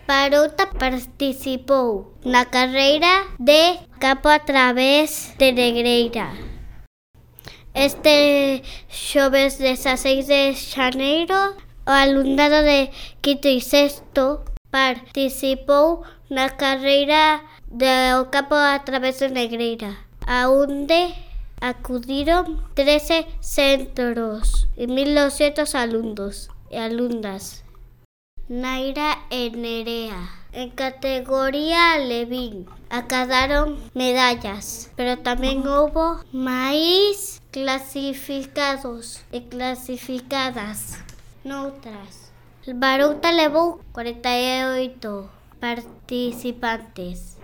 Baruta participou na carreira de Campo a través de Negreira. Este xoves 16 de xaneiro, o alumnado de quinto e sexto participou na carreira do Campo a través de Negreira, aonde acudiron 13 centros e 1.200 alumnos e alumnas. Naira e Nerea, en categoría Levín, acadaron medallas, pero tamén houbo máis clasificados e clasificadas noutras. Baruta levou 48 participantes.